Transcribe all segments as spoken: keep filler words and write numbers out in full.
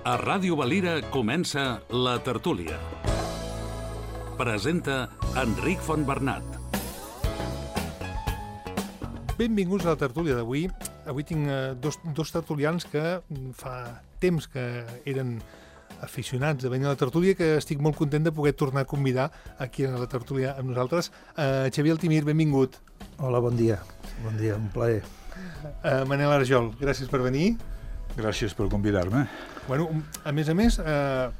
A Ràdio Valira comença La Tertúlia. Presenta Enric Fontbernat. Benvinguts a La Tertúlia d'avui. Avui tinc eh, dos, dos tertulians que fa temps que eren aficionats a venir a La Tertúlia, que estic molt content de poder tornar a convidar aquí a La Tertúlia amb nosaltres. Uh, Xavier Altimir, benvingut. Hola, bon dia. Bon dia, un plaer. Uh, Manel Arjol, gràcies per venir. Gràcies per convidar-me. Bueno, a més a més, eh,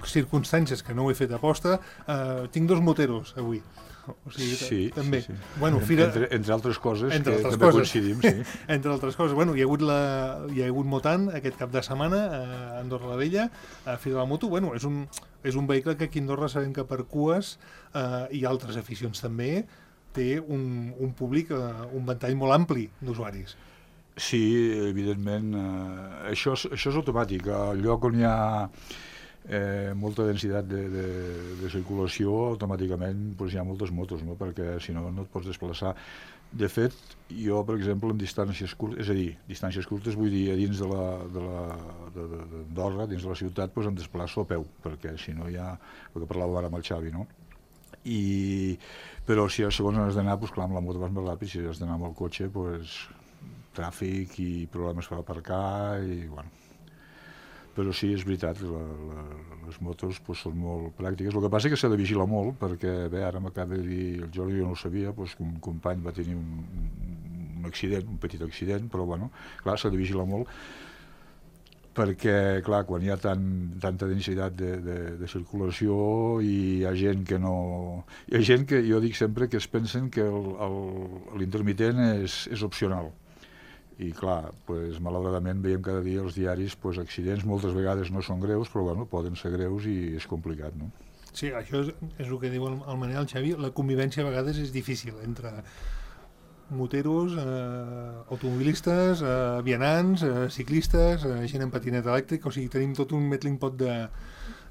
circumstàncies que no ho he fet aposta, eh, tinc dos moteros avui. O sigui, sí, també. sí, sí. Bueno, fira... entre, entre altres coses, entre que altres també coses. coincidim. Sí. entre altres coses. Bueno, hi ha hagut, la... hi ha hagut Motant aquest cap de setmana a Andorra la Vella, a Fira de la Moto. Bueno, és un, és un vehicle que aquí a Andorra sabem que per cues eh, i altres aficions també té un, un públic, eh, un ventall molt ampli d'usuaris. Sí, evidentment. Eh, això, és, això és automàtic. Al lloc on hi ha eh, molta densitat de, de, de circulació, automàticament pues, hi ha moltes motos, no? Perquè si no, no et pots desplaçar. De fet, jo, per exemple, en distàncies curtes, és a dir, distàncies curtes, vull dir, a dins de la, de la, de, de, d'Andorra, dins de la ciutat, pues, em desplaço a peu, perquè si no hi ha, el que parlàvem ara amb el Xavi, no? I, però si segons on has d'anar, pues, clar, amb la moto vas més ràpid, si has d'anar amb el cotxe, pues, tràfic i problemes per aparcar i bueno. Però sí, és veritat, la, la, les motos pues, són molt pràctiques. El que passa és que s'ha de vigilar molt perquè, bé, ara m'acaba de dir el Jordi, jo no ho sabia, pues, un company va tenir un, un accident, un petit accident, però bueno, clar, s'ha de vigilar molt perquè, clar, quan hi ha tan, tanta densitat de, de, de circulació i hi ha gent que no... Hi ha gent que, jo dic sempre, que es pensen que el, el, l'intermitent és, és opcional. I clar, pues, malauradament veiem cada dia als diaris pues, accidents, moltes vegades no són greus, però bueno, poden ser greus i és complicat, no? Sí, això és, és el que diu el, el Manel, el Xavi, la convivència a vegades és difícil entre moteros, eh, automobilistes, eh, vianants, eh, ciclistes, eh, gent en patinet elèctric, o sigui, tenim tot un melting pot de,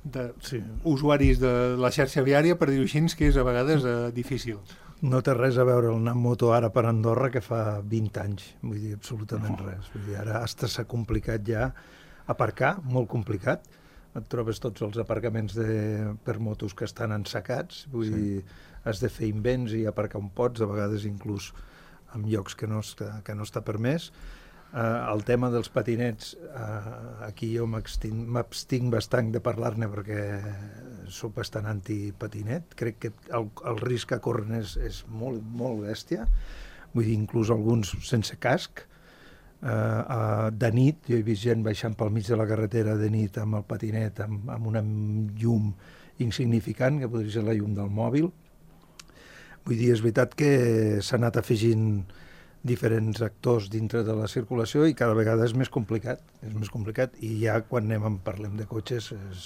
de sí. usuaris de la xarxa viària, per dir-ho així, que és a vegades eh, difícil. No té res a veure el anar amb moto ara per Andorra que fa vint anys, vull dir, absolutament no. res. Vull dir, ara hasta s'ha complicat ja aparcar, molt complicat. Et trobes tots els aparcaments de, per motos que estan ensacats, vull sí. dir, has de fer invents i aparcar on pots, a vegades inclús en llocs que no està, que no està permès. Uh, el tema dels patinets, uh, aquí jo m'abstinc bastant de parlar-ne perquè soc bastant antipatinet. Crec que el, el risc que corren és, és molt, molt bèstia. Vull dir, inclús alguns sense casc. Uh, uh, de nit, jo he vist gent baixant pel mig de la carretera de nit amb el patinet, amb, amb una llum insignificant, que podria ser la llum del mòbil. Vull dir, és veritat que s'ha anat afegint diferents actors dintre de la circulació i cada vegada és més complicat, és més complicat i ja quan anem en parlem de cotxes és,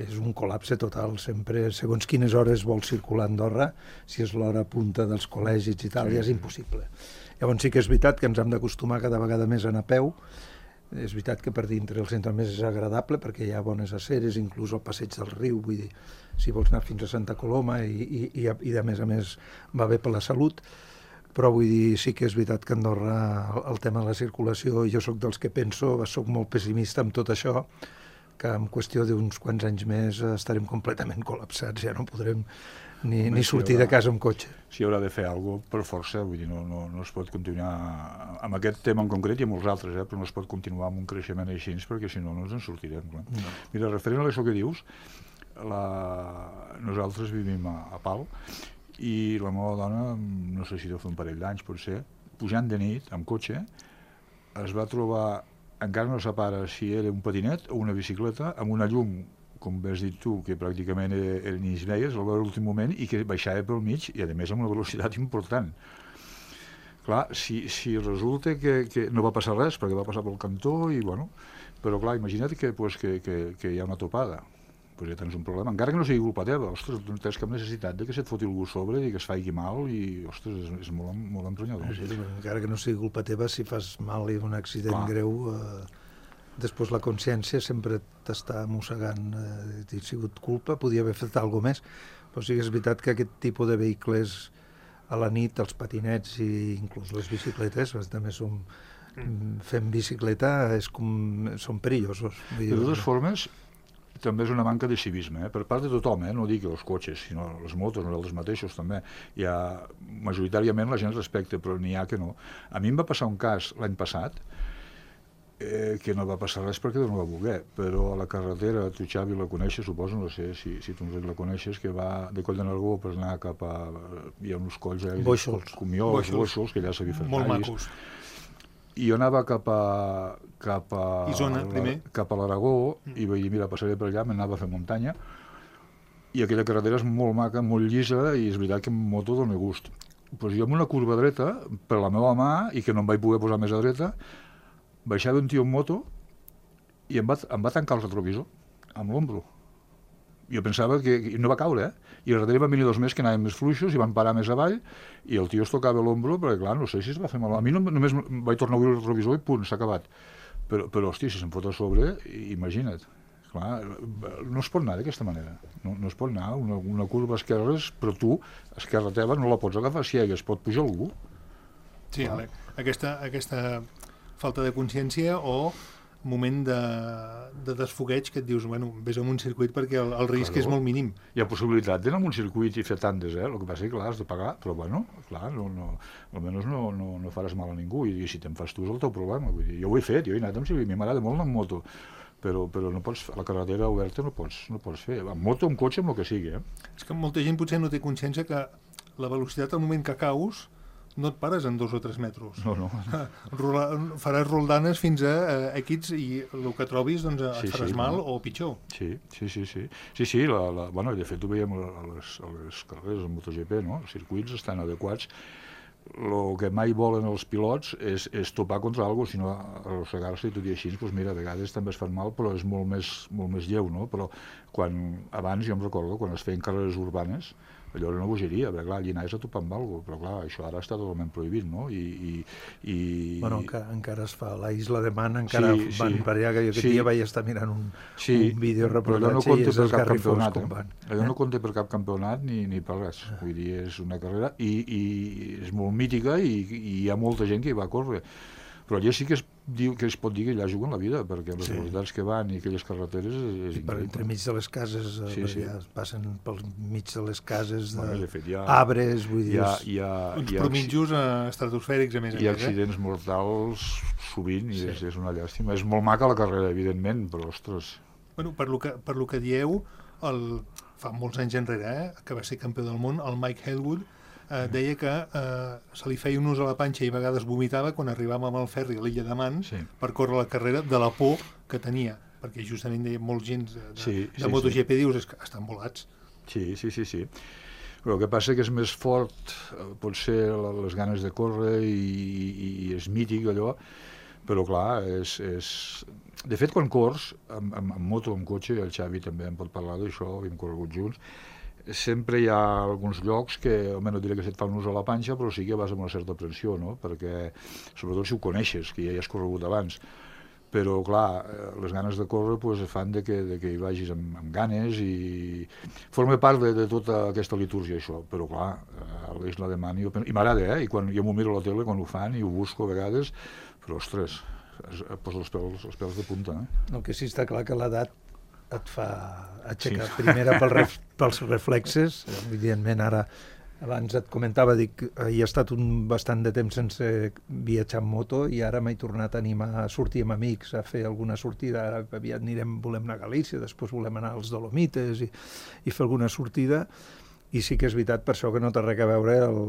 és un col·lapse total, sempre, segons quines hores vols circular a Andorra, si és l'hora punta dels col·legis i tal, sí. ja és impossible. Llavors sí que és veritat que ens hem d'acostumar cada vegada més a anar a peu, és veritat que per dintre el centre més és agradable perquè hi ha bones aceres, inclús el passeig del riu, vull dir, si vols anar fins a Santa Coloma i, i, i, i de més a més va bé per la salut, però vull dir, sí que és veritat que Andorra, el, el tema de la circulació, jo sóc dels que penso, sóc molt pessimista amb tot això, que en qüestió d'uns quants anys més estarem completament col·lapsats, ja no podrem ni, ni sortir de casa amb cotxe. Si haurà de fer alguna cosa per força, vull dir, no, no, no es pot continuar amb aquest tema en concret i amb els altres, eh, però no es pot continuar amb un creixement així, perquè si no, no ens en sortirem. Clar. No. Mira, referent a això que dius, la... nosaltres vivim a, a Pal, i la meva dona, no sé si deu fer un parell d'anys, potser, pujant de nit, amb cotxe, es va trobar, encara no separa si era un patinet o una bicicleta, amb una llum, com has dit tu, que pràcticament eren ni es veies, al l'últim moment, i que baixava pel mig, i a més amb una velocitat important. Clar, si, si resulta que, que no va passar res, perquè va passar pel cantó, i bueno, però clar, imagina't que, pues, que, que, que hi ha una topada. Pues ja tens un problema, encara que no sigui culpa teva, ostres, no tens cap necessitat de que se't foti algú sobre i que es faci mal i, ostres, és, és molt, molt emprenyador. Sí, sí, encara que no sigui culpa teva, si fas mal i un accident Clar. greu, eh, després la consciència sempre t'està mossegant, eh, ha sigut culpa, podia haver fet alguna més, però sí que és veritat que aquest tipus de vehicles a la nit, els patinets i inclús les bicicletes, també som fent bicicleta és com, són perillosos. De totes formes, també és una manca de civisme, eh? per part de tothom, eh? no dic els cotxes, sinó les motos, nosaltres mateixos també. Hi ha, majoritàriament la gent respecta, però n'hi ha que no. A mi em va passar un cas l'any passat, eh, que no va passar res perquè no va voler, però a la carretera, tu Xavi la coneixes, suposo, no sé si, si tu la coneixes, que va de Coll de Nargó per anar cap a... Hi ha uns colls... Eh, Bóixols. Comiols, Bóixols, que ja s'havia fet Molt talls. macos. I jo anava cap a, cap a, Isona, la, primer. cap a l'Aragó mm. i vaig dir, mira, passaré per allà, m'anava a fer muntanya i aquella carretera és molt maca, molt llisa i és veritat que en moto dona gust. Pues jo amb una curva dreta, per la meva mà, i que no em vaig poder posar més a dreta, baixava un tio en moto i em va, em va tancar el retrovisor amb l'ombro. Jo pensava que no va caure, eh? I darrere van venir dos més que anaven més fluixos i van parar més avall i el tio es tocava l'ombro perquè, clar, no sé si es va fer mal. A mi no, només vaig tornar a obrir el retrovisor i punt, s'ha acabat. Però, però, hòstia, si se'n fot a sobre, imagina't. Clar, no es pot anar d'aquesta manera. No, no es pot anar. Una, una curva a esquerres, però tu, a esquerra teva, no la pots agafar ciegues, pot pujar algú. Sí, Alec, aquesta, aquesta falta de consciència o moment de, de desfogueig que et dius, bueno, vés amb un circuit perquè el, el risc Claro. és molt mínim. Hi ha possibilitat d'anar amb un circuit i fer tandes, eh? El que passa és que, clar, has de pagar, però, bueno, clar, no, no, almenys no, no, no faràs mal a ningú, i, i si te'n fas tu és el teu problema. Vull dir, jo ho he fet, jo he anat amb circuit, a mi m'agrada molt anar amb moto, però, però no pots, a la carretera oberta no pots, no pots fer, amb moto, amb cotxe, amb el que sigui, eh? És que molta gent potser no té consciència que la velocitat al moment que caus no et pares en dos o tres metres. No, no. Rola, faràs roldanes fins a eh, equits i el que trobis doncs, et Sí, faràs sí, mal no. o pitjor. Sí, sí, sí, sí. Sí, sí, la, la, bueno, de fet ho veiem a les, a les carreres, al MotoGP, no? Els circuits estan adequats. El que mai volen els pilots és, és topar contra alguna cosa, sinó arrossegar-se i tot i així, doncs mira, a vegades també es fan mal, però és molt més, molt més lleu, no? Però quan, abans, jo em recordo, quan es feien carreres urbanes, allò era una bogeria, perquè clar, allí anaves a topar amb alguna cosa, però clar, això ara està totalment prohibit, no? I, i, i... Bueno, encara, encara es fa. A la Isla de Man encara Sí, van sí. per allà, que jo aquest Sí. dia vaig estar mirant un, Sí, un vídeo però allò no reportatge i compta és per cap esgarrifós campionat, com eh? van. Allò no compta per cap campionat ni, ni per res. Vull dir, és una carrera i, i és molt mítica i, i hi ha molta gent que hi va córrer. Però allà sí que es, diu, que es pot dir que allà juguen la vida, perquè les Sí. velocitats que van i aquelles carreteres és, és I per increïble. entremig de les cases, eh, Sí, sí. ja passen pel mig de les cases, de Bueno, de fet, hi ha, arbres, vull dir... hi ha, és- hi ha, Uns hi ha, promitjos eh, estratosfèrics, a més a hi ha més. Eh? accidents mortals sovint i Sí. és, és una llàstima. És molt maca la carrera, evidentment, però, ostres... Bueno, per lo que, per lo que dieu, el, fa molts anys enrere, eh, que va ser campió del món, el Mike Hellwood, eh, deia que eh, se li feia un ús a la panxa i a vegades vomitava quan arribàvem amb el ferri a l'illa de Man Sí. per córrer la carrera de la por que tenia, perquè justament deia molts gens de, de, Sí, de sí, MotoGP sí. Dius, és que estan volats. Sí, sí, sí, sí. Però el que passa que és més fort, eh, pot ser la- les ganes de córrer i, i, i és mític allò, però clar, és, és... De fet, quan cors, amb, amb, amb moto o amb cotxe, el Xavi també en pot parlar d'això, hem corregut junts, sempre hi ha alguns llocs que, almenys no diré que se't fa un ús a la panxa, però sí que vas amb una certa aprensió, no? Perquè, sobretot si ho coneixes, que ja hi has corregut abans, però clar, eh, les ganes de córrer pues, fan de que, de que hi vagis amb, amb ganes i forma part de, de tota aquesta litúrgia això, però clar, a l'Isla de Man jo pen- i m'agrada, eh? I quan jo m'ho miro a la tele quan ho fan i ho busco a vegades, però ostres, es, es posa els pèls, els pèls de punta, eh? El que sí està clar que l'edat et fa aixecar Sí. primera pel ref, pels reflexes, evidentment ara abans et comentava, dic, hi he estat un bastant de temps sense viatjar en moto i ara m'he tornat a animar a sortir amb amics, a fer alguna sortida, ara aviat anirem, volem anar a Galícia, després volem anar als Dolomites i, i fer alguna sortida, i sí que és veritat per això que no té res a veure el,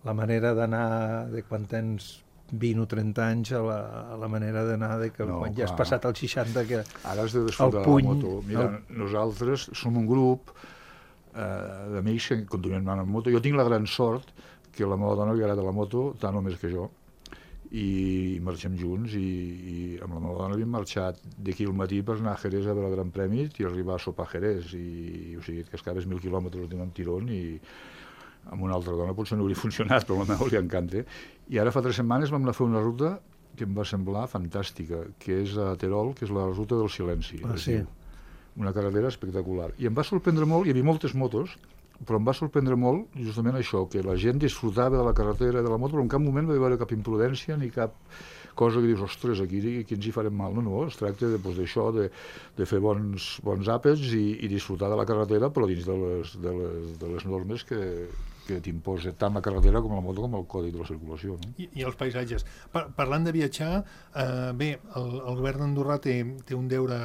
la manera d'anar de quan tens vint o trenta anys a la, a la manera d'anar de que No, quan ja has clar. passat els seixanta que... Ara has de disfrutar El puny, de la moto. Mira, el- nosaltres som un grup eh, d'amics que continuem anant amb moto. Jo tinc la gran sort que la meva dona li agrada la moto tant o més que jo i marxem junts i, i amb la meva dona havíem marxat d'aquí al matí per anar a Jerez a veure el Gran Premi i arribar a sopar a Jerez i, o sigui, que escaves mil quilòmetres d'un tirón i amb una altra dona potser no hauria funcionat, però a la meva li encanta. I ara fa tres setmanes vam anar a fer una ruta que em va semblar fantàstica, que és a Terol, que és la ruta del silenci. Ah, es sí. diu. Una carretera espectacular. I em va sorprendre molt, hi havia moltes motos, però em va sorprendre molt justament això, que la gent disfrutava de la carretera de la moto, però en cap moment va haver cap imprudència ni cap cosa que dius, ostres, aquí, aquí ens hi farem mal. No, no, es tracta d'això, de, de fer bons, bons àpats i, i disfrutar de la carretera, però dins de les, de les, de les normes que, que t'imposa tant la carretera com la moto com el codi de la circulació. No? I, i els paisatges. Pa parlant de viatjar, eh, bé, el, el govern andorrà té, té un deure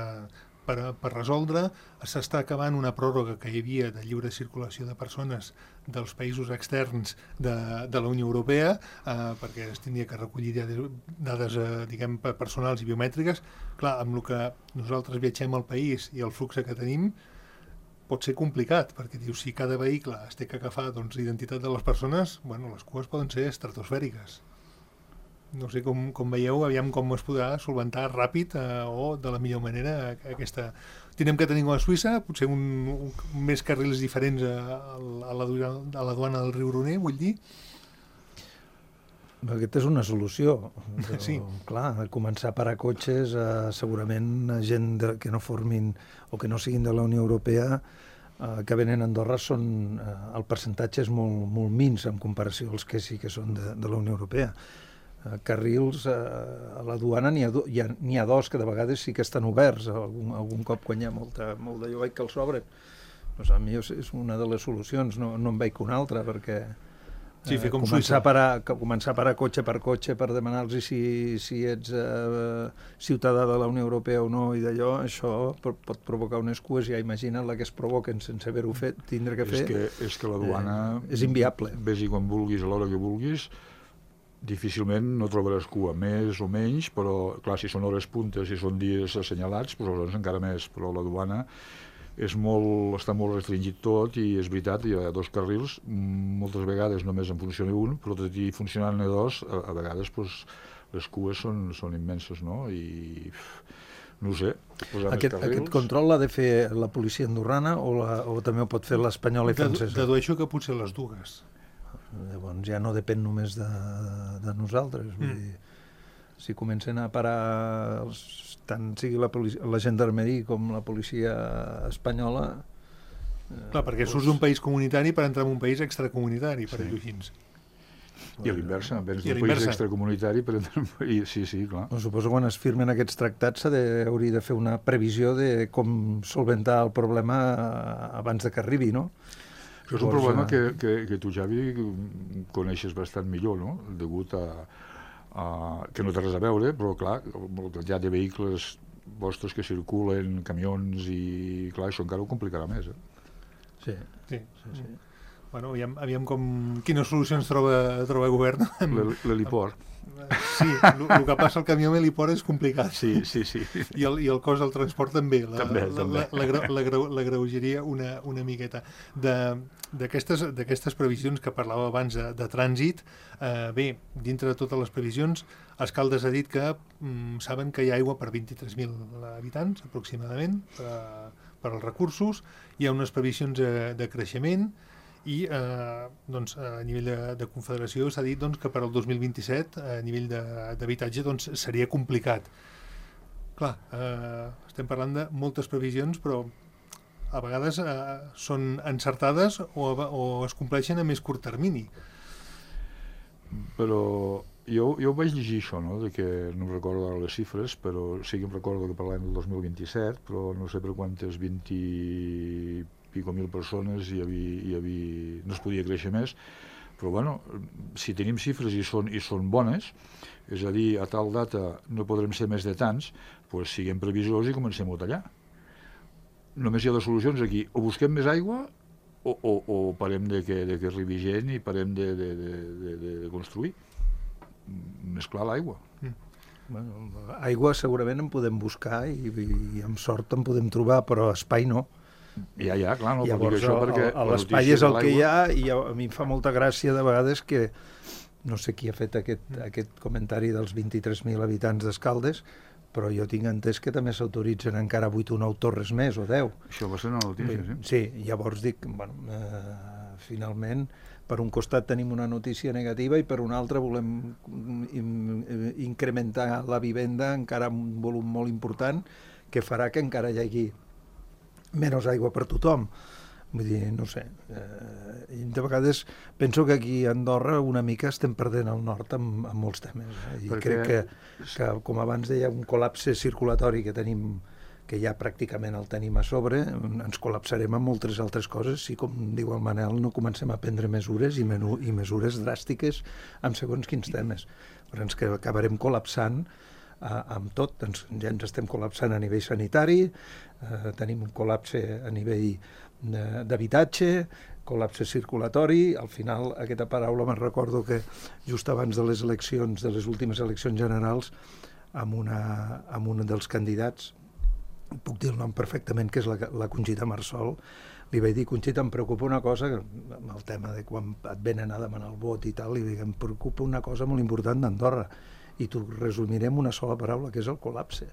per, per resoldre. S'està acabant una pròrroga que hi havia de lliure circulació de persones dels països externs de, de la Unió Europea, eh, perquè es tindria que recollir dades eh, diguem, personals i biomètriques. Clar, amb el que nosaltres viatgem al país i el flux que tenim, pot ser complicat, perquè dius, si cada vehicle es té que agafar doncs, l'identitat de les persones, bueno, les cues poden ser estratosfèriques. No sé com, com veieu, aviam com es podrà solventar ràpid eh, o de la millor manera aquesta... Tindrem que tenir com a Suïssa, potser un, un més carrils diferents a, a, la, a la duana del riu Roner, vull dir. Aquesta és una solució. Però, sí. Clar, començar a parar cotxes, eh, segurament gent de, que no formin o que no siguin de la Unió Europea eh, que venen a Andorra són, eh, el percentatge és molt, molt mins en comparació als que sí que són de, de la Unió Europea. Eh, carrils, eh, a la duana n'hi ha, hi ha, n'hi ha dos que de vegades sí que estan oberts, algun, algun cop quan hi ha molta, molt de lloguer que els obren. Doncs a mi és una de les solucions, no, no en veig una altra, perquè sí, fer com començar, Suïssa. a parar, començar a parar cotxe per cotxe per demanar-los si, si ets eh, ciutadà de la Unió Europea o no i d'allò, això pot provocar unes cues, ja imagina't la que es provoquen sense haver-ho fet, tindre que fer. És que, és que la duana... Eh, és inviable. Vés-hi quan vulguis, a l'hora que vulguis, difícilment no trobaràs cua, més o menys, però clar, si són hores puntes, si són dies assenyalats, doncs aleshores encara més, però la duana és molt, està molt restringit tot i és veritat, hi ha dos carrils, moltes vegades només en funciona un, però tot i funcionant-ne dos, a, a vegades doncs, les cues són, són immenses, no? I no ho sé, posar aquest, més carrils... Aquest control l'ha de fer la policia andorrana o, la, o també ho pot fer l'espanyola i francesa? Dedueixo que potser les dues. Llavors ja no depèn només de, de nosaltres. Vull Mm. dir, si comencen a parar els, tant sigui la, policia, la gendarmeria com la policia espanyola... Eh, Clar, perquè surts d'un país comunitari per entrar en un país extracomunitari, per dir-ho així. I a l'inversa, vens d'un país extracomunitari per entrar en un país... Sí, sí, clar. Doncs suposo que quan es firmen aquests tractats s'hauria de fer una previsió de com solventar el problema abans de que arribi, no? Això és un problema que, que, que tu, Javi, coneixes bastant millor, no? Degut a, a... que no té res a veure, però, clar, ja de vehicles vostres que circulen, camions, i, clar, això encara ho complicarà més, eh? Sí. Sí. sí, sí. Bueno, aviam, aviam com... Quines solucions troba, troba el govern. L'heliport. Sí, el, el que passa al camió amb heliport és complicat. Sí, sí, sí. I el, i el cost del transport també. La, també, la, també. La, la, la, la, la greugeria una, una miqueta. D'aquestes previsions que parlava abans de, de trànsit, eh, bé, dintre de totes les previsions, Escaldes ha dit que mm, saben que hi ha aigua per vint-i-tres mil habitants, aproximadament, per, per als recursos. Hi ha unes previsions de, de creixement, i eh, doncs, a nivell de, de confederació s'ha dit doncs, que per al dos mil vint-i-set a nivell d'habitatge doncs, seria complicat. Clar, eh, estem parlant de moltes previsions, però a vegades eh, són encertades o, o es compleixen a més curt termini. Però jo, jo vaig llegir això, no? De que no recordo les xifres, però sí que em recordo que parlàvem del dos mil vint-i-set, però no sé per quantes vint pico mil persones i, havia, i havia, no es podia créixer més, però bueno, si tenim xifres i són, i són bones, és a dir, a tal data no podrem ser més de tants, doncs siguem previsors i comencem a tallar. Només hi ha dues solucions aquí, o busquem més aigua o, o, o parem de que, de que arribi gent i parem de, de, de, de, de construir. Més clar l'aigua. Mm. Bueno, aigua segurament en podem buscar i, i amb sort en podem trobar, però espai no. Ja, ja, clar, no, llavors això perquè l'espai és el que hi ha i a mi em fa molta gràcia de vegades que no sé qui ha fet aquest, mm. aquest comentari dels vint-i-tres mil habitants d'Escaldes, però jo tinc entès que també s'autoritzen encara vuit o nou torres més o deu. Això va ser una notícia, sí. Sí, llavors dic, bueno, eh, finalment per un costat tenim una notícia negativa i per un altre volem in, incrementar la vivenda encara amb un volum molt important que farà que encara hi hagi menys aigua per tothom. Vull dir, no sé, eh, de vegades penso que aquí a Andorra una mica estem perdent el nord en, en molts temes, eh? I Perquè... crec que, que, com abans deia, un col·lapse circulatori que tenim, que ja pràcticament el tenim a sobre, ens col·lapsarem en moltes altres coses si, com diu el Manel, no comencem a prendre mesures i, menu, i mesures dràstiques en segons quins temes. Però ens acabarem col·lapsant eh, amb tot, ens, ja ens estem col·lapsant a nivell sanitari, eh, tenim un col·lapse a nivell d'habitatge, col·lapse circulatori. Al final, aquesta paraula me'n recordo que just abans de les eleccions, de les últimes eleccions generals, amb, una, amb un dels candidats, puc dir el nom perfectament, que és la, la Conxita Marsol, li vaig dir, Conxita, em preocupa una cosa, amb el tema de quan et venen a demanar el vot i tal, li dic, em preocupa una cosa molt important d'Andorra, i t'ho resumirem una sola paraula, que és el col·lapse.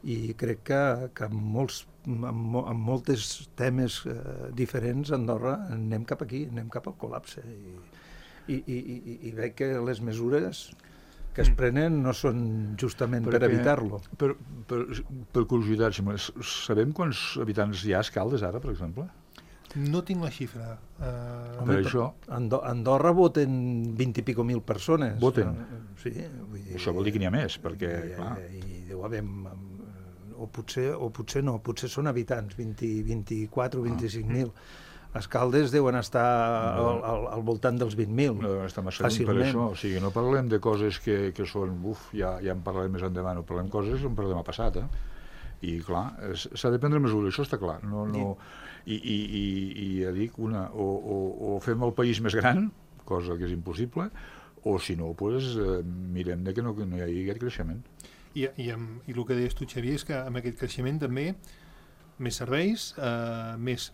I crec que, que en, molts, en, en moltes temes eh, diferents a Andorra anem cap aquí, anem cap al col·lapse. I, i, i, i, i veig que les mesures que es prenen no són justament Perquè, per evitar-lo. Per, per, per curiositat, sabem quants habitants hi ha a Escaldes ara, per exemple? No tinc la xifra. Uh... Per això... A Andorra voten vint i pico mil persones. Voten? Sí. Vull dir, això vol dir que n'hi ha més, perquè... I, clar. i deu haver... O potser, o potser no, potser són habitants, vint, vint-i-quatre o vint-i-cinc mil. A Escaldes deuen estar al, al, al voltant dels vint mil. No deuen estar massa lluny per això. O sigui, no parlem de coses que, que són... Uf, ja, ja en parlarem més endavant, no parlem coses que en parlem a passat, eh? I clar, s'ha de prendre mesures, això està clar. No, no... I, i, i, i ja dic, una, o, o, o fem el país més gran, cosa que és impossible, o si no, pues, eh, mirem de que no, que no hi hagi aquest creixement. I, i, amb, i el que deies tu, Xavier, és que amb aquest creixement també més serveis, eh, més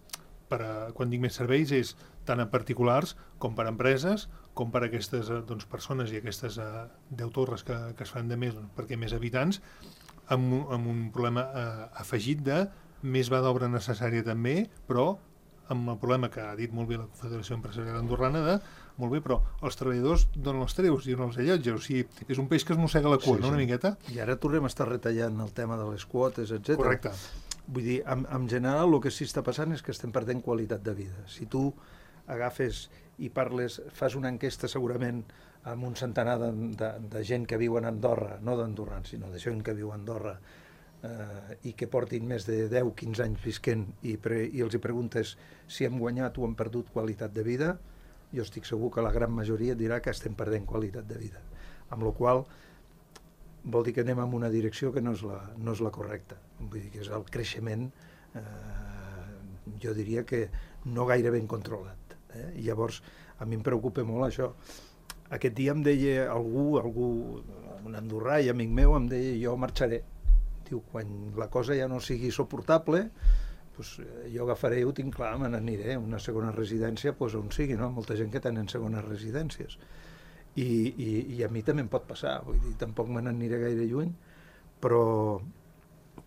per a, quan dic més serveis és tant a particulars com per a empreses, com per a aquestes eh, doncs, persones i aquestes eh, deu torres que, que es fan de més, doncs, perquè més habitants, amb, amb un problema eh, afegit de més mà d'obra necessària també, però amb el problema que ha dit molt bé la Confederació Empresarial Andorrana de, molt bé, però els treballadors d'on els treus i on els allotja, o sigui, és un peix que es mossega la cua, sí, no, una sí. miqueta? I ara tornem a estar retallant el tema de les quotes, etcètera. Correcte. Vull dir, en, en general el que sí està passant és que estem perdent qualitat de vida. Si tu agafes i parles, fas una enquesta segurament amb un centenar de, de, de gent que viu a Andorra, no d'andorrans, sinó de gent que viu a Andorra, eh, i que portin més de deu o quinze anys visquent i, pre, i els hi preguntes si hem guanyat o hem perdut qualitat de vida, jo estic segur que la gran majoria dirà que estem perdent qualitat de vida. Amb la qual vol dir que anem en una direcció que no és la, no és la correcta. Vull dir que és el creixement, eh, jo diria que no gaire ben controlat. Eh? I llavors, a mi em preocupa molt això. Aquest dia em deia algú, algú, un andorrà i amic meu, em deia jo marxaré. Diu, quan la cosa ja no sigui suportable, pues, jo agafaré, ho tinc clar, me n'aniré a una segona residència, pues, on sigui, no? Molta gent que tenen segones residències. I, i, i a mi també em pot passar, vull dir, tampoc me n'aniré gaire lluny, però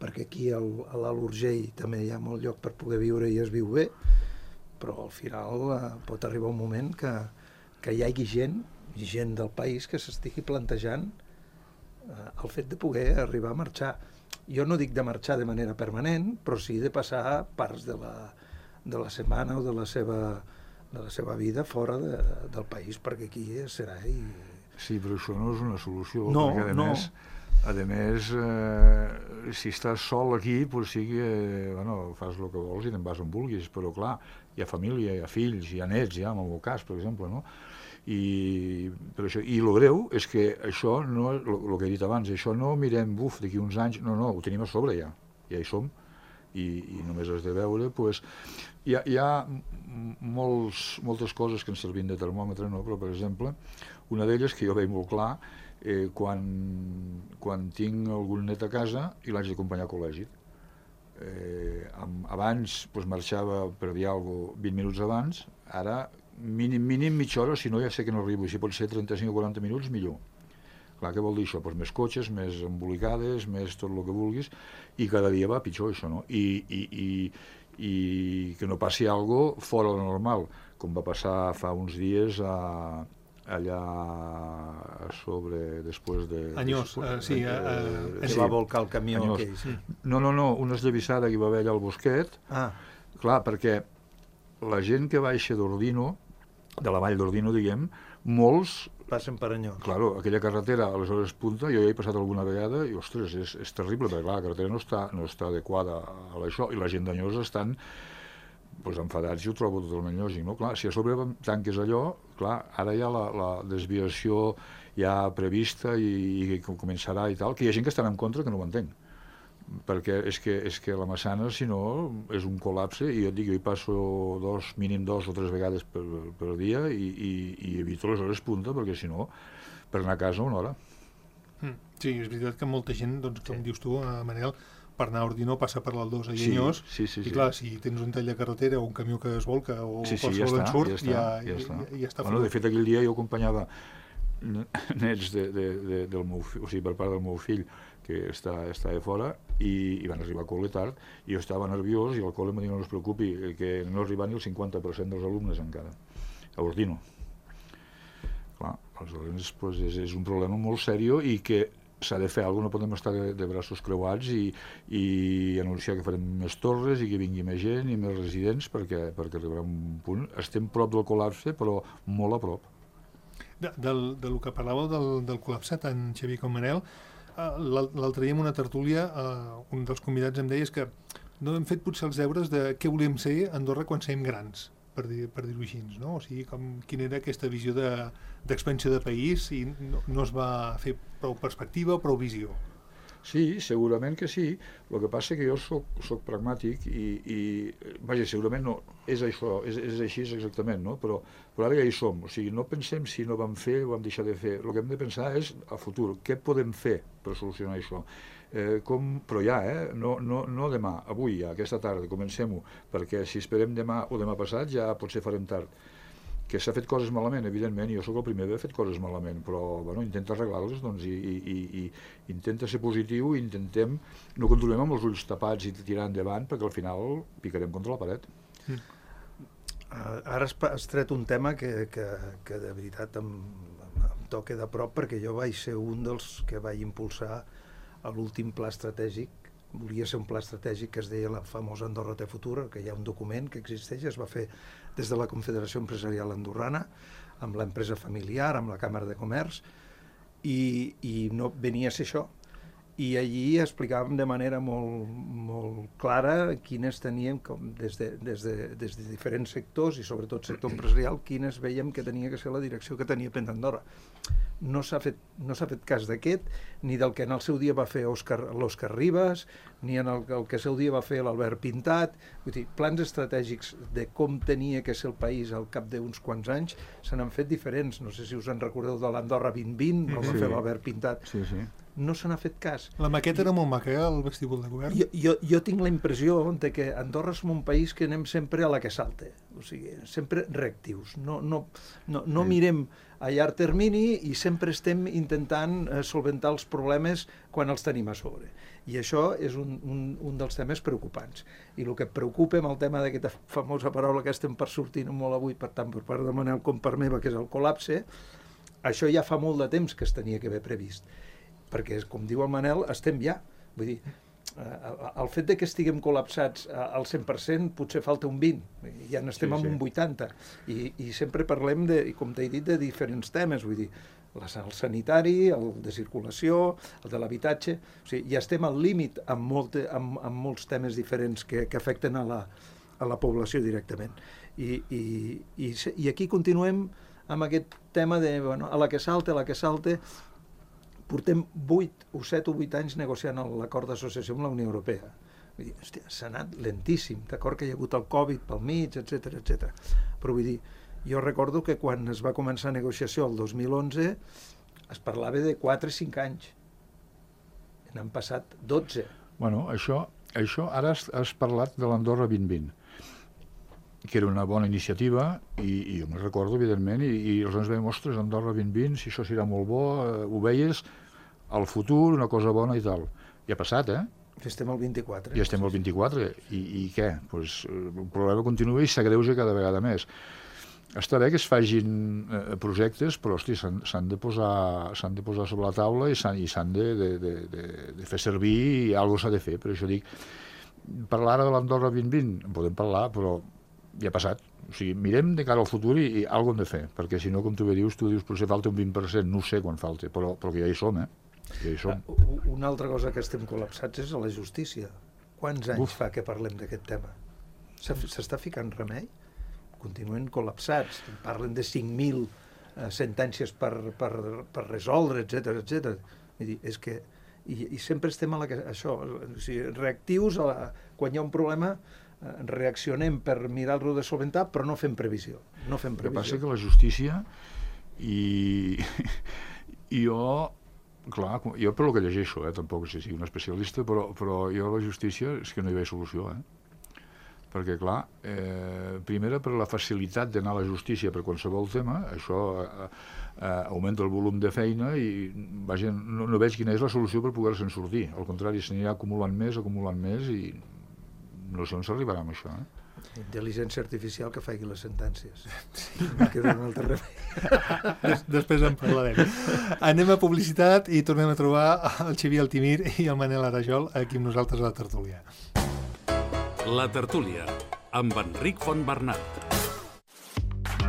perquè aquí al, a l'Alt Urgell també hi ha molt lloc per poder viure i es viu bé, però al final eh, pot arribar un moment que, que hi hagi gent, gent del país que s'estigui plantejant eh, el fet de poder arribar a marxar. Jo no dic de marxar de manera permanent, però sí de passar parts de la, de la setmana o de la seva, de la seva vida fora de, del país, perquè aquí serà... I... Sí, però això no és una solució, no, perquè a no. més, a més eh, si estàs sol aquí, pues sí que bueno, fas el que vols i te'n vas on vulguis, però clar, hi ha família, hi ha fills, hi ha nets, ja, en el meu cas, per exemple, no? I, per això, i el greu és que això, no, el que he dit abans, això no mirem, buf, d'aquí uns anys, no, no, ho tenim a sobre ja, ja hi som, i, i només has de veure, pues, hi ha, hi ha molts, moltes coses que ens servim de termòmetre, no? Però, per exemple, una d'elles que jo veig molt clar, eh, quan, quan tinc algun net a casa i l'haig d'acompanyar al col·legi. Eh, abans pues, marxava per dir alguna cosa vint minuts abans, ara mínim, mínim mitja hora, si no ja sé que no arribo, si pot ser trenta-cinc o quaranta minuts, millor. Clar, què vol dir això? Pues més cotxes, més embolicades, més tot el que vulguis, i cada dia va pitjor això, no? I, i, i, i que no passi alguna cosa fora de normal, com va passar fa uns dies a, allà a sobre, després de... Anyós, uh, sí. Uh, uh, que sí. va volcar el camió aquell. Sí. No, no, no, una esllavissada que hi va haver allà al Bosquet. Ah. Clar, perquè la gent que baixa d'Ordino, de la vall d'Ordino, diguem, molts... Passen per Anyós. Claro, aquella carretera a les hores punta, jo ja he passat alguna vegada i, ostres, és, és terrible, perquè clar, la carretera no està, no està adequada a això, i la gent d'Anyós estan pues, enfadats i ho trobo totalment lògic, no? Clar, si a sobre tanques allò, clar, ara hi ha la, la desviació ja prevista i, i començarà i tal, que hi ha gent que estan en contra que no ho entenc, perquè és que, és que la Massana, si no, és un col·lapse, i jo et dic, jo hi passo dos, mínim dos o tres vegades per, per dia i, i, i evito les hores punta, perquè si no, per anar a casa una hora. Mm. Sí, és veritat que molta gent, doncs, com Sí. dius tu, eh, Manel, per anar a Ordino passa per l'Al dos a Llenyós, Sí, sí, sí, i sí. clar, si tens un tall de carretera o un camió que es volca o Sí, sí, ja qualsevol està, ensurt, ja està, ja, ja ja, està. ja, ja està Bueno, de fotut. fet, aquell dia jo acompanyava nets de, de, de, del meu fill, o sigui, per part del meu fill, que està, està de fora, i, i van arribar a col·le tard, i jo estava nerviós, i al col·le em va dir no es preocupi, que no arriba ni el cinquanta per cent dels alumnes encara, a Ordino. Clar, aleshores pues, és, és un problema molt seriós i que s'ha de fer alguna cosa, no podem estar de, de braços creuats i, i anunciar que farem més torres i que vingui més gent i més residents perquè, perquè arribarà un punt. Estem prop del col·lapse, però molt a prop. De, del, del que parlàveu del, del col·lapse, tant Xavier com Manel, eh, l'altre dia en una tertúlia, eh, un dels convidats em deia és que no hem fet potser els deures de què volem ser a Andorra quan siguem grans, per dir, per dir-ho així, no? O sigui, com, quina era aquesta visió d'expansió de, de país i no, no es va fer prou perspectiva o prou visió. Sí, segurament que sí. El que passa que jo soc, soc pragmàtic i, i, vaja, segurament no, és això, és, és així exactament, no? Però, però ara ja hi som. O sigui, no pensem si no vam fer o vam deixar de fer. El que hem de pensar és a futur, què podem fer per solucionar això? Eh, com, però ja, eh? no, no, no demà, avui ja, aquesta tarda, comencem-ho, perquè si esperem demà o demà passat ja potser farem tard. Que s'ha fet coses malament, evidentment, jo sóc el primer d'haver fet coses malament, però bueno, intenta arreglar-les doncs, i, i, i intenta ser positiu i intentem, no continuem amb els ulls tapats i tirar endavant, perquè al final picarem contra la paret. Uh, ara has, has tret un tema que, que, que de veritat em, em toca de prop, perquè jo vaig ser un dels que vaig impulsar l'últim pla estratègic. Volia ser un pla estratègic que es deia la famosa Andorra té futur, que hi ha un document que existeix, es va fer des de la Confederació Empresarial Andorrana, amb l'empresa familiar, amb la Càmera de Comerç, i, i no venia a ser això. I allí explicàvem de manera molt, molt clara quines teníem, com des, de, des, de, des de diferents sectors, i sobretot sector empresarial, quines veiem que tenia que ser la direcció que tenia Pent Andorra. No s'ha fet, no s'ha fet cas d'aquest, ni del que en el seu dia va fer l'Òscar Ribas, ni en el, el que el seu dia va fer l'Albert Pintat. Vull dir, plans estratègics de com tenia que ser el país al cap d'uns quants anys se n'han fet diferents. No sé si us en recordeu de l'Andorra vint vint, el va Sí. fer l'Albert Pintat. Sí, sí. No se n'ha fet cas. La maqueta era molt maca, eh, al vestíbul de govern. Jo, jo, jo tinc la impressió de que Andorra som un país que anem sempre a la que salte, o sigui, sempre reactius, no, no, no, no Sí. mirem a llarg termini i sempre estem intentant eh, solventar els problemes quan els tenim a sobre. I això és un, un, un dels temes preocupants. I el que et preocupa amb el tema d'aquesta famosa paraula que estem per sortint molt avui, per tant per part de Manel com per meva, que és el col·lapse, això ja fa molt de temps que es tenia que haver previst. Perquè, com diu el Manel, estem ja. Vull dir, eh, el fet de que estiguem col·lapsats al cent per cent potser falta un vint, ja n'estem Sí, en sí. un vuitanta, i, i sempre parlem, de, i com t'he dit, de diferents temes, vull dir, la, el sanitari, el de circulació, el de l'habitatge, o sigui, ja estem al límit amb, molt, amb, amb molts temes diferents que, que afecten a la, a la població directament. I, i, i, i aquí continuem amb aquest tema de, bueno, a la que salte, a la que salte. Portem vuit o set o vuit anys negociant l'acord d'associació amb la Unió Europea. Vull dir, hòstia, s'ha anat lentíssim, d'acord que hi ha hagut el Covid pel mig, etcètera, etcètera. Però vull dir, jo recordo que quan es va començar la negociació el dos mil onze es parlava de quatre o cinc anys. N'han passat dotze. Bueno, això, això ara has, has parlat de l'Andorra vint vint, que era una bona iniciativa, i, i jo me'n recordo, evidentment, i, i els ens veiem, ostres, Andorra vint vint, si això serà molt bo, eh, ho veies, al futur, una cosa bona i tal. Ja ha passat, eh? Estem al vint-i-quatre. Ja estem al vint-i-quatre, i, i què? Pues, el problema continua i s'agreuja cada vegada més. Està bé que es fagin eh, projectes, però hosti, s'han de, posar, s'han de posar sobre la taula i s'han de, de, de, de, de fer servir i alguna cosa s'ha de fer. Per això dic, parlar ara de l'Andorra vint vint, en podem parlar, però ja ha passat. O sigui, mirem de cara al futur i, i alguna hem de fer, perquè si no, com tu bé dius, tu dius, potser falta un vint per cent, no sé quan falta, però, però que ja hi som, eh? Ja hi som. Uh, una altra cosa que estem col·lapsats és a la justícia. Quants anys Uf. fa que parlem d'aquest tema? S'està ficant remei? Continuen col·lapsats. Parlen de cinc mil uh, sentències per, per, per resoldre, etcètera, etcètera. Vull dir, és que... I, i sempre estem a la, això, o sigui, reactius, a la, quan hi ha un problema, eh, reaccionem per mirar-lo de solventar, però no fem previsió. No fem previsió. El que passa que la justícia, i, i jo, clar, jo per lo que llegeixo, eh, tampoc sé si un especialista, però, però jo a la justícia és que no hi veig solució, eh? Perquè, clar, eh, primera, per la facilitat d'anar a la justícia per qualsevol tema, això eh, eh, augmenta el volum de feina i vaja, no, no veig quina és la solució per poder-se'n sortir. Al contrari, s'anirà acumulant més, acumulant més i no sé on s'arribarà amb això. Eh? Intel·ligència artificial que faci les sentències. Sí, no queda un altre remei. Des, després en parlarem. Anem a publicitat i tornem a trobar el Xavier Altimir i el Manel Arajol aquí amb nosaltres a la tertúlia. La tertúlia, amb Enric Fontbernat.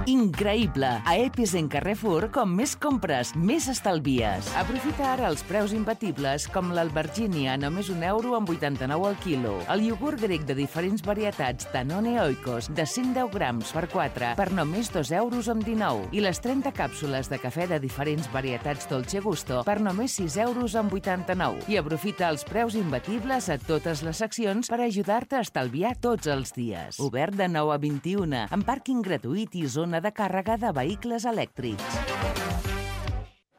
Increïble! A Epis en Carrefour, com més compres, més estalvies. Aprofita ara els preus imbatibles com l'albergínia a només un euro amb vuitanta-nou al quilo. El iogurt grec de diferents varietats Danone Oikos de cent deu grams per quatre per només dos euros amb dinou. I les trenta càpsules de cafè de diferents varietats Dolce Gusto per només sis euros amb vuitanta-nou. I aprofita els preus imbatibles a totes les seccions per ajudar-te a estalviar tots els dies. Obert de nou a vint-i-una, amb pàrquing gratuït i zona de càrrega de vehicles elèctrics.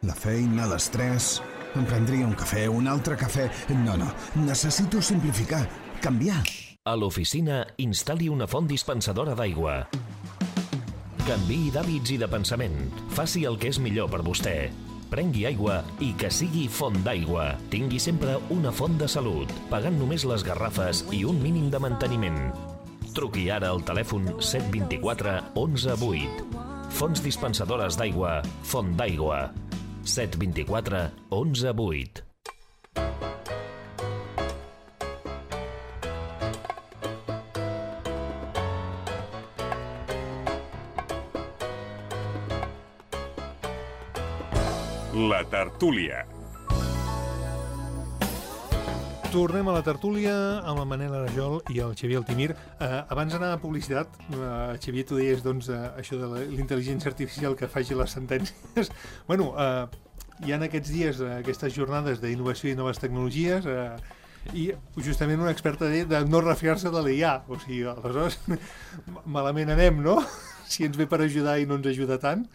La feina, l'estrès... Em prendria un cafè, un altre cafè... No, no, necessito simplificar, canviar. A l'oficina, instal·li una font dispensadora d'aigua. Canviï d'hàbits i de pensament. Faci el que és millor per vostè. Prengui aigua i que sigui font d'aigua. Tingui sempre una font de salut, pagant només les garrafes i un mínim de manteniment. Truqui ara al telèfon set dos quatre onze vuit. Fonts dispensadores d'aigua, Font d'aigua. set dos quatre onze vuit. La tertúlia. Tornem a la tertúlia amb el Manel Arajol i el Xavier Altimir. Eh, abans d'anar a publicitat, eh, Xavier, tu deies doncs, eh, això de la, l'intel·ligència artificial que faci les sentències. bueno, eh, hi ha aquests dies eh, aquestes jornades d'innovació i noves tecnologies eh, i justament una experta de, de no refiar-se de l'I A. O sigui, aleshores, malament anem, no? Si ens ve per ajudar i no ens ajuda tant.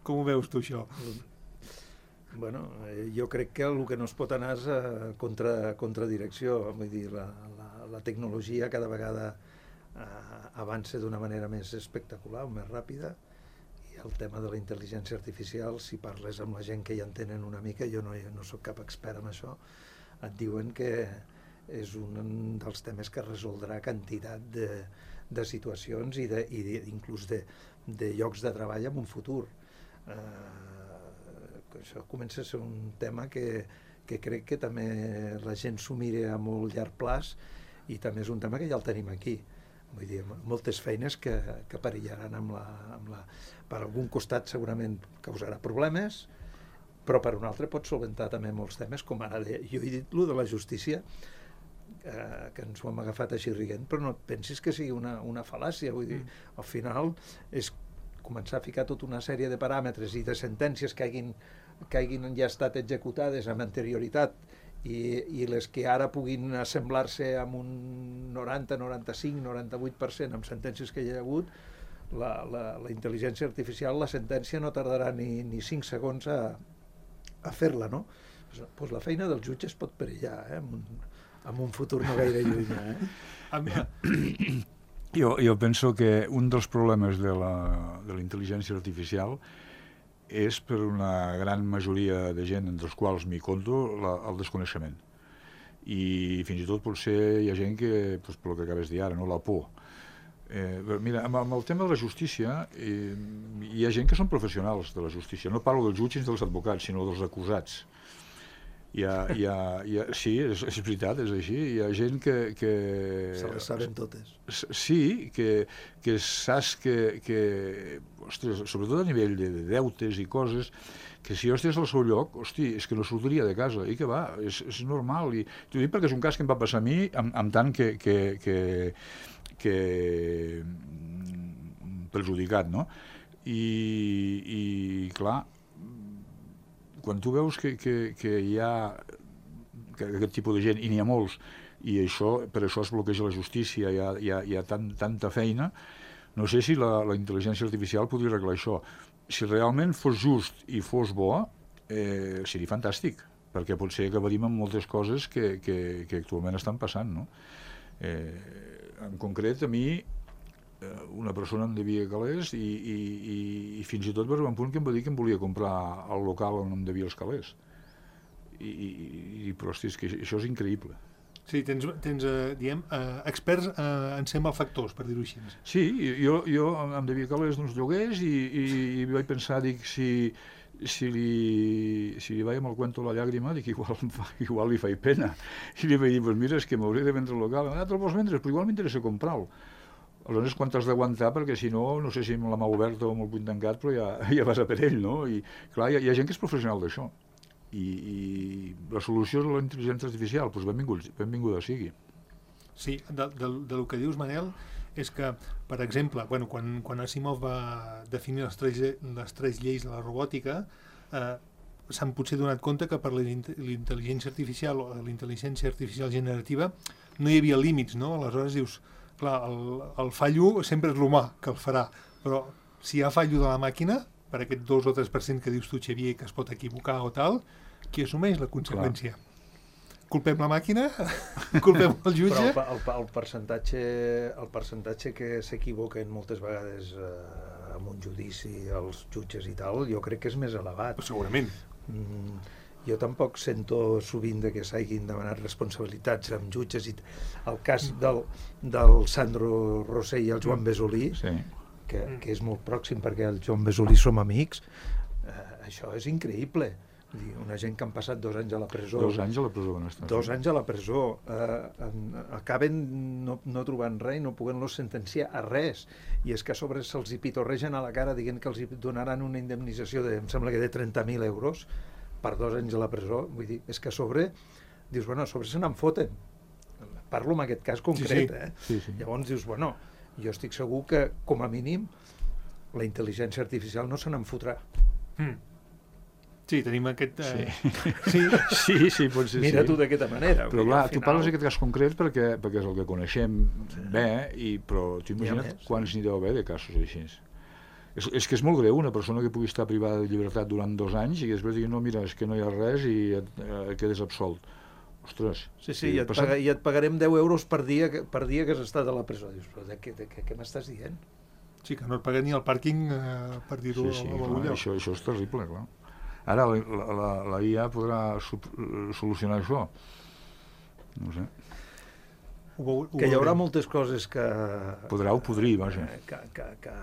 Com ho veus tu, això? Bueno, eh, jo crec que el que no es pot anar és a contra, contradirecció. Vull dir, la, la, la tecnologia cada vegada eh, avança d'una manera més espectacular, més ràpida, i el tema de la intel·ligència artificial, si parles amb la gent que hi entenen una mica, jo no, no soc cap expert en això, et diuen que és un dels temes que resoldrà quantitat de, de situacions i, de, i de, inclús de, de llocs de treball en un futur. Eh, això comença a ser un tema que, que crec que també la gent s'ho mira a molt llarg plaç i també és un tema que ja el tenim aquí. Vull dir, moltes feines que, que perillaran amb la, amb la... Per algun costat segurament causarà problemes, però per un altre pot solventar també molts temes, com ara de, jo he dit lo de la justícia, eh, que ens ho hem agafat així riguent, però no et pensis que sigui una, una fal·làcia. Vull dir, al final és començar a ficar tota una sèrie de paràmetres i de sentències que hagin, que hagin ja estat executades amb anterioritat i, i les que ara puguin assemblar-se amb un noranta, noranta-cinc, noranta-vuit per cent amb sentències que hi ha hagut, la, la, la intel·ligència artificial, la sentència no tardarà ni, ni cinc segons a, a fer-la, no? Pues la feina dels jutges pot perillar, eh? en, un, en un futur no gaire lluny. Eh? Jo, jo penso que un dels problemes de la, de la intel·ligència artificial és per una gran majoria de gent, entre els quals m'hi compto, la, el desconeixement. I fins i tot potser hi ha gent que, doncs, pel que acabes de dir ara, no? La por. Eh, mira, amb, amb el tema de la justícia, eh, hi ha gent que són professionals de la justícia. No parlo dels jutges ni dels advocats, sinó dels acusats. Hi ha, hi ha, hi ha, sí, és, és veritat, és així. Hi ha gent que... que se les saben totes. Sí, que, que saps que, que ostres, sobretot a nivell de, de deutes i coses, que si jo estigués al seu lloc, hosti, és que no sortiria de casa, i que va, és, és normal. I t'ho dic perquè és un cas que em va passar a mi, amb, amb tant que, que, que, que perjudicat, no? I, i clar, quan tu veus que, que, que hi ha que aquest tipus de gent, i n'hi ha molts, i això, per això es bloqueja la justícia, hi ha, hi ha, hi ha tant, tanta feina, no sé si la, la intel·ligència artificial podria arreglar això. Si realment fos just i fos bo, eh, seria fantàstic, perquè potser acabaríem amb moltes coses que, que, que actualment estan passant, no? Eh, en concret, a mi, una persona em devia calés i, i, i, i fins i tot va arribar un punt que em va dir que em volia comprar el local on em devia els calés. I, i, i però, hosti, és que això és increïble. Sí, tens, tens eh, diem, eh, experts eh, en ser malfactors, per dir-ho així. Sí, jo, jo em devia calés d'uns lloguers i, i, i vaig pensar, dic, si, si, li, si li vaig amb el cuento la llàgrima, dic, igual, igual li faig pena. I li vaig dir, pues mira, és que m'hauré de vendre el local. Ah, te'l vols vendre? Però igual m'interessa comprar-lo. Aleshores, quan t'has d'aguantar, perquè si no, no sé si amb la mà oberta o amb el puny tancat, però ja, ja vas a per ell, no? I clar, hi ha, hi ha gent que és professional d'això. I, i la solució és la intel·ligència artificial, doncs benvingut, benvinguda sigui. Sí, de, de, de lo que dius, Manel, és que, per exemple, bueno, quan, quan Asimov va definir les tres, les tres lleis de la robòtica, eh, s'han potser donat compte que per la intel·ligència artificial o la intel·ligència artificial generativa no hi havia límits, no? Aleshores dius, clar, el, el fallo sempre és l'humà que el farà, però si hi ha fallo de la màquina, per aquest dos o tres per cent que dius tu, Xavier, que es pot equivocar o tal, qui assumeix la conseqüència? Clar. Culpem la màquina? Culpem el jutge? Però el, el, el, percentatge, el percentatge que s'equivoquen moltes vegades eh, en un judici, els jutges i tal, jo crec que és més elevat. Segurament. Mm, jo tampoc sento sovint de que s'hagin demanat responsabilitats amb jutges. I el cas del, del Sandro Rosell i el Joan Besolí, sí. que, que és molt pròxim perquè el Joan Besolí som amics, eh, això és increïble. Dir, una gent que han passat dos anys a la presó. Dos anys a la presó van estar. Dos anys a la presó. Eh, en, acaben no, no trobant res i no poden-los sentenciar a res. I és que a sobre se'ls hi pitorregen a la cara dient que els hi donaran una indemnització de, em sembla que de trenta mil euros per dos anys a la presó. Vull dir, és que a sobre, dius, bueno, a sobre se n'en foten. Parlo en aquest cas concret, sí, sí. eh? Sí, sí. Llavors dius, bueno, jo estic segur que, com a mínim, la intel·ligència artificial no se n'en fotrà. Mm. Sí, tenim aquest... Eh... Sí. sí, sí, pot ser. Mira sí. tu d'aquesta manera. Però clar, final... tu parles d'aquest cas concret perquè, perquè és el que coneixem sí. bé, i, però t'ho imagina't quants n'hi deu haver de casos així. És, és que és molt greu una persona que pugui estar privada de llibertat durant dos anys i després digui, no, mira, és que no hi ha res i et, et quedes absolt. Ostres. Sí, sí, i et, passat... paga, i et pagarem deu euros per dia, per dia que has estat a la presó. Dius, però de què, de què, què m'estàs dient? Sí, que no et paguen ni el pàrquing eh, per dir-ho sí, sí, a clar, això, això és terrible, clar. Ara la, la, la I A podrà sub, solucionar això? No sé. Ho, ho que hi haurà moltes coses que... Podrà o podria, vaja. Que, que, que,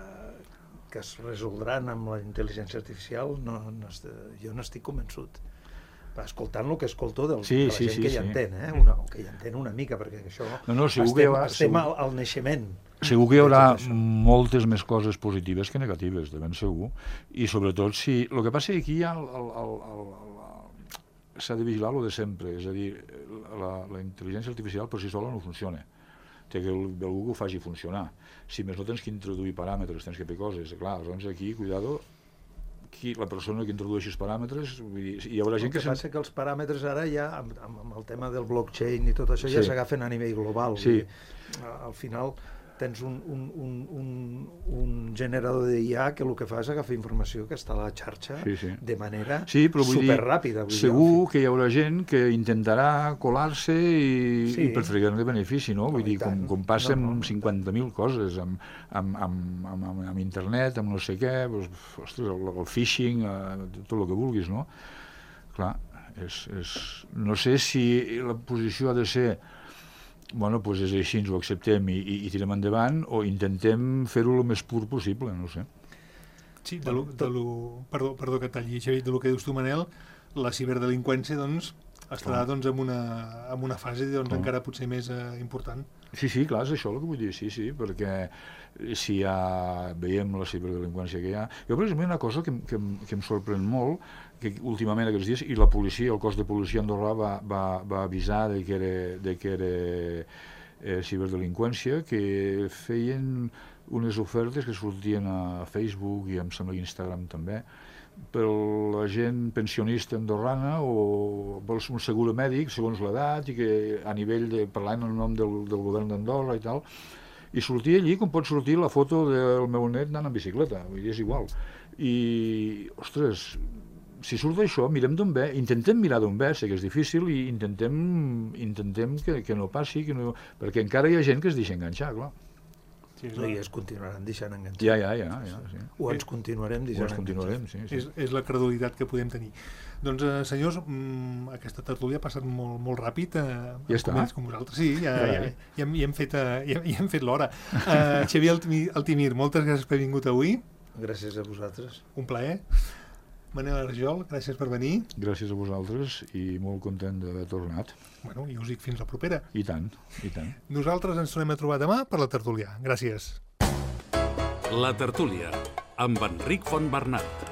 que es resoldran amb la intel·ligència artificial, no, no, jo n'estic convençut. Escoltant el que escolto del, sí, de la sí, gent sí, que hi sí. entén, eh? una, que hi entén una mica, perquè això no, no, segur estem, que hi haurà, estem segur, al, al naixement. Segur que hi haurà moltes més coses positives que negatives, de ben segur. I sobretot si... El que passa és que aquí hi ha el, el, el, el, el, s'ha de vigilar el de sempre, és a dir, la, la intel·ligència artificial per si sola no funciona. Té que algú que ho faci funcionar. Si més no tens que introduir paràmetres, tens que fer coses. Clar, doncs aquí, cuidado, qui, la persona que introdueixi els paràmetres, vull dir, hi haurà gent el que, que passa sen... que els paràmetres ara ja, amb, amb el tema del blockchain i tot això, sí. ja s'agafen a nivell global. Sí. Dir, al final tens un, un, un, un, un generador d'I A que el que fa és agafar informació que està a la xarxa sí, sí. de manera sí, superràpida. Dir, segur dir, que hi haurà gent que intentarà colar-se i, sí. i per fregar-ne benefici, no? Vull no, dir, com, com passa no, no, amb cinquanta mil coses, amb, amb, amb, amb, amb, amb internet, amb no sé què, doncs, ostres, el, el phishing, eh, tot el que vulguis, no? Clar, és, és... no sé si la posició ha de ser bueno, doncs és així, ens ho acceptem i, i, i tirem endavant, o intentem fer-ho el més pur possible, no sé. Sí, de lo, de lo, perdó, perdó que talli, Xavier, de lo que dius tu, Manel, la ciberdelinqüència, doncs, estarà doncs, en, una, en una fase doncs, encara potser més eh, important. Sí, sí, clar, és això el que vull dir, sí, sí, perquè si ja veiem la ciberdelinqüència que hi ha... Jo, per exemple, una cosa que, que, que em sorprèn molt, que últimament aquests dies, i la policia, el cos de policia andorrà va, va, va avisar de que era, de que era eh, ciberdelinqüència, que feien unes ofertes que sortien a Facebook i em sembla que Instagram també, per la gent pensionista andorrana o per un seguro mèdic segons l'edat i que a nivell de parlant en nom del, del govern d'Andorra i tal, i sortia allí com pot sortir la foto del meu net anant en bicicleta, vull dir, és igual. I, ostres, si surt això, mirem d'on ve, intentem mirar d'on ve, sé que és difícil, i intentem, intentem que, que no passi, que no... perquè encara hi ha gent que es deixa enganxar, clar. Sí, no, i es continuaran deixant enganxar. Ja, ja, ja. ja sí. O ens continuarem deixant o ens continuarem, sí, sí. És, és la credibilitat que podem tenir. Doncs, eh, senyors, mmm, aquesta tertúlia ha passat molt, molt ràpid. Eh, ja està? Com vosaltres. Sí, ja, ja, ja, ja, hem, ja hem fet, uh, ja, ja hem fet l'hora. Uh, Xavier Altimir, moltes gràcies per haver vingut avui. Gràcies a vosaltres. Un plaer. Manel Arjol, gràcies per venir. Gràcies a vosaltres i molt content d'haver tornat. Bueno, i us dic fins la propera. I tant, i tant. Nosaltres ens tornem a trobar demà per la tertúlia. Gràcies. La tertúlia, amb Enric Fontbernat.